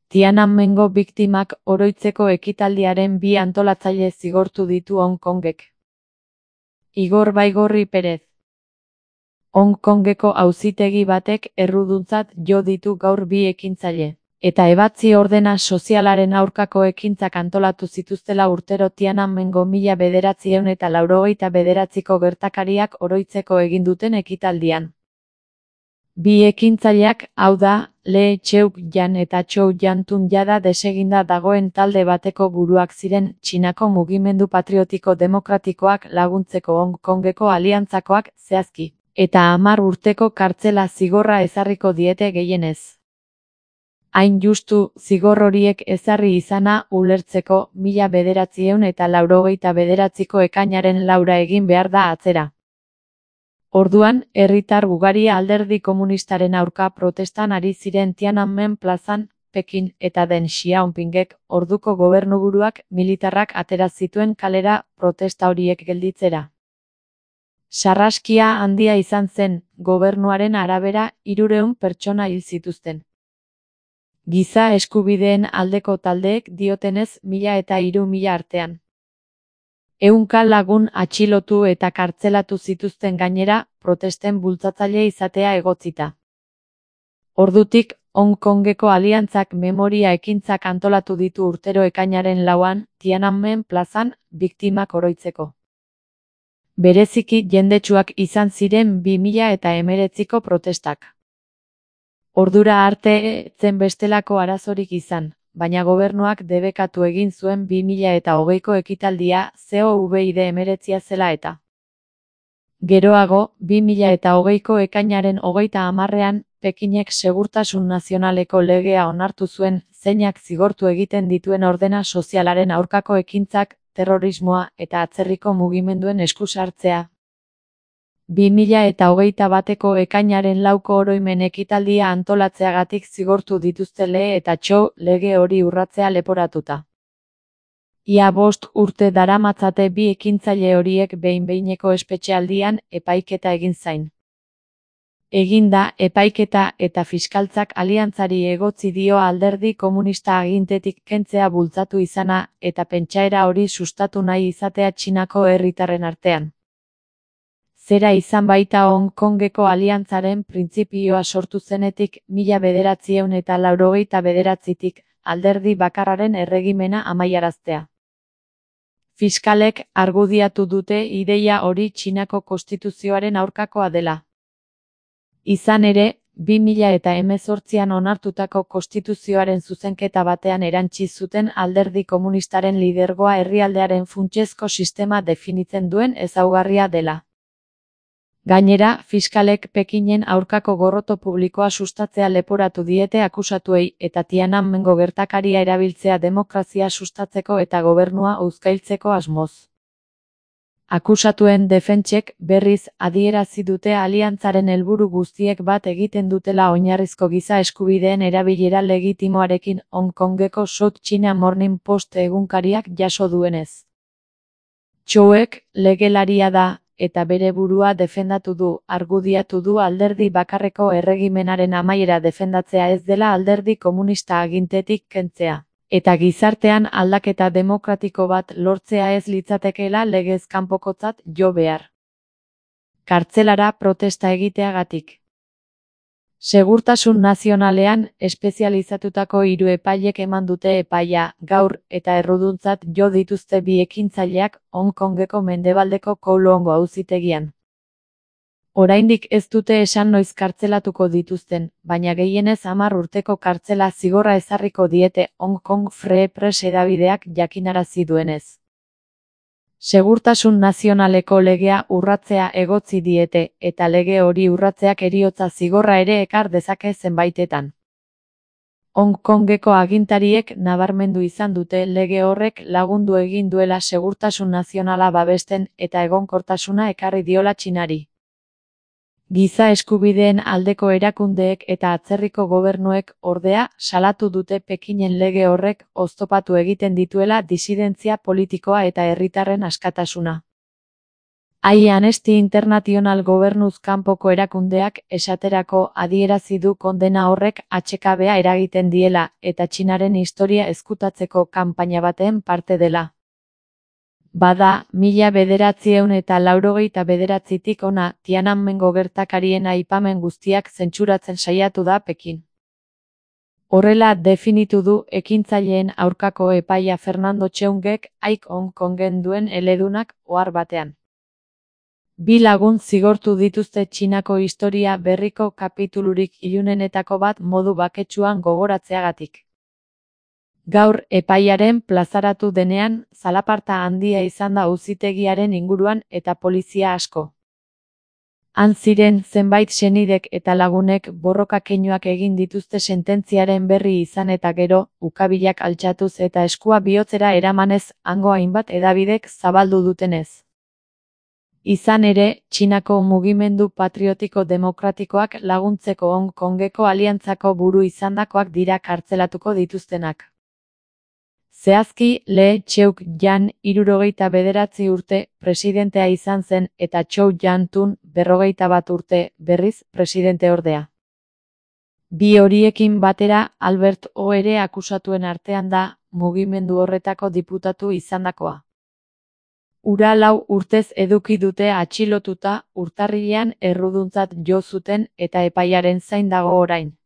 Tiananmengo biktimak oroitzeko ekitaldiaren 2 antolatzaile zigortu ditu Hong Kongek. Igor Baigorri Perez. Hong Kongeko auzitegi batek erruduntzat jo ditu gaur 2 ekintzaile, eta ebatzi ordena sozialaren aurkako ekintzak antolatu zituztela urtero Tiananmengo 1989ko gertakariak oroitzeko egin duten ekitaldian. 2 ekintzaileak, hau da, Lee Cheuk-jan eta Chou Yantun jada deseginda dagoen talde bateko buruak ziren Txinako mugimendu patriotiko demokratikoak laguntzeko Hong Kongeko aliantzakoak zehazki, eta 10 urteko kartzela zigorra ezarriko diete gehienez. Hain justu, zigor horiek ezarri izana ulertzeko 1989ko ekainaren 4 egin behar da atzera. Orduan, herritar ugari alderdi komunistaren aurka protestan ari ziren Tiananmen plazan, Pekin eta Deng Xiaopingek, orduko gobernuburuak militarrak atera zituen kalera protesta horiek gelditzera. Sarraskia handia izan zen, gobernuaren arabera 300 pertsona hil zituzten. Giza eskubideen aldeko taldeek diotenez 1000 eta 3000 artean. 100 lagun atxilotu eta kartzelatu zituzten gainera, protesten bultzatzaile izatea egotzita. Ordutik, Hong Kongeko aliantzak memoria ekintzak antolatu ditu urtero ekainaren 4an, Tiananmen plazan, biktimak oroitzeko. Bereziki jendetsuak izan ziren 2019ko protestak. Ordura arte ez zen bestelako arazorik izan, baina gobernuak debekatu egin zuen 2020ko ekitaldia COVID-19 zela eta. Geroago, 2020ko ekainaren 30ean, Pekinek segurtasun nazionaleko legea onartu zuen, zeinak zigortu egiten dituen ordena sozialaren aurkako ekintzak, terrorismoa eta atzerriko mugimenduen esku sartzea. 2021ko ekainaren 4ko oroimen ekitaldia antolatzeagatik zigortu dituzte Lee eta Chou lege hori urratzea leporatuta. Ia 5 urte daramatzate 2 ekintzaile horiek behin-behineko espetxealdian epaiketa egin zain. Eginda epaiketa eta fiskaltzak aliantzari egotzi dio alderdi komunista agintetik kentzea bultzatu izana eta pentsaera hori sustatu nahi izatea Txinako herritarren artean. Zera izan baita Hong Kongeko aliantzaren printzipioa sortu zenetik 1989tik alderdi bakarraren erregimena amaiaraztea. Fiskalek argudiatu dute ideia hori Txinako konstituzioaren aurkakoa dela. Izan ere, 2018an onartutako konstituzioaren zuzenketa batean erantsi zuten alderdi komunistaren lidergoa herrialdearen funtsezko sistema definitzen duen ezaugarria dela. Gainera, fiskalek Pekinen aurkako gorroto publikoa sustatzea leporatu diete akusatuei eta Tiananmengo gertakaria erabiltzea demokrazia sustatzeko eta gobernua uzkailtzeko asmoz. Akusatuen defentsek, berriz, adierazi dute aliantzaren helburu guztiek bat egiten dutela oinarrizko giza eskubideen erabilera legitimoarekin Hong Kongeko South China Morning Post egunkariak jaso duenez. Chouek legelaria da, eta bere burua defendatu du, argudiatu du alderdi bakarreko erregimenaren amaiera defendatzea ez dela alderdi komunista agintetik kentzea, eta gizartean aldaketa demokratiko bat lortzea ez litzatekeela legez kanpokotzat jo behar. Kartzelara protesta egiteagatik. Segurtasun nazionalean espezializatutako 3 epailek eman dute epaia, gaur, eta erruduntzat jo dituzte 2 ekintzaileak Hong Kongeko mendebaldeko Kowloon auzitegian. Oraindik ez dute esan noiz kartzelatuko dituzten, baina gehienez 10 urteko kartzela zigorra ezarriko diete Hong Kong Free Press hedabideak jakinarazi duenez. Segurtasun nazionaleko legea urratzea egotzi diete, eta lege hori urratzeak heriotza zigorra ere ekar dezake zenbaitetan. Hong Kongeko agintariek nabarmendu izan dute lege horrek lagundu egin duela segurtasun nazionala babesten eta egonkortasuna ekarri diola Txinari. Giza eskubideen aldeko erakundeek eta atzerriko gobernuek, ordea, salatu dute Pekinen lege horrek oztopatu egiten dituela disidentzia politikoa eta herritarren askatasuna. Amnesty International gobernuz kanpoko erakundeak esaterako adierazi du kondena horrek atsekabea eragiten diela eta Txinaren historia ezkutatzeko kanpaina baten parte dela. Bada, 1989tik hona Tiananmengo gertakarien aipamen guztiak zentsuratzen saiatu da Pekin. Horrela definitu du ekintzaileen aurkako epaia Fernando Cheungek Hong Kongen duen eledunak ohar batean. 2 lagun zigortu dituzte Txinako historia berriko kapitulurik ilunenetako bat modu baketsuan gogoratzeagatik. Gaur epaiaren plazaratu denean, zalaparta handia izan da auzitegiaren inguruan eta polizia asko. Han ziren zenbait senidek eta lagunek borroka keinuak egin dituzte sententziaren berri izan eta gero, ukabilak altxatuz eta eskua bihotzera eramanez hango hainbat hedabidek zabaldu dutenez. Izan ere, Txinako mugimendu patriotiko demokratikoak laguntzeko Hong Kongeko aliantzako buru izandakoak dira kartzelatuko dituztenak. Zehazki, Lee Cheuk-jan 69 urte presidentea izan zen eta Zhou Yantun 51 urte berriz presidenteordea. Bi horiekin batera Albert O ere akusatuen artean da, mugimendu horretako diputatu izandakoa. Hura 4 urtez eduki dute atxilotuta, urtarrilean erruduntzat jo zuten eta epaiaren zain dago orain.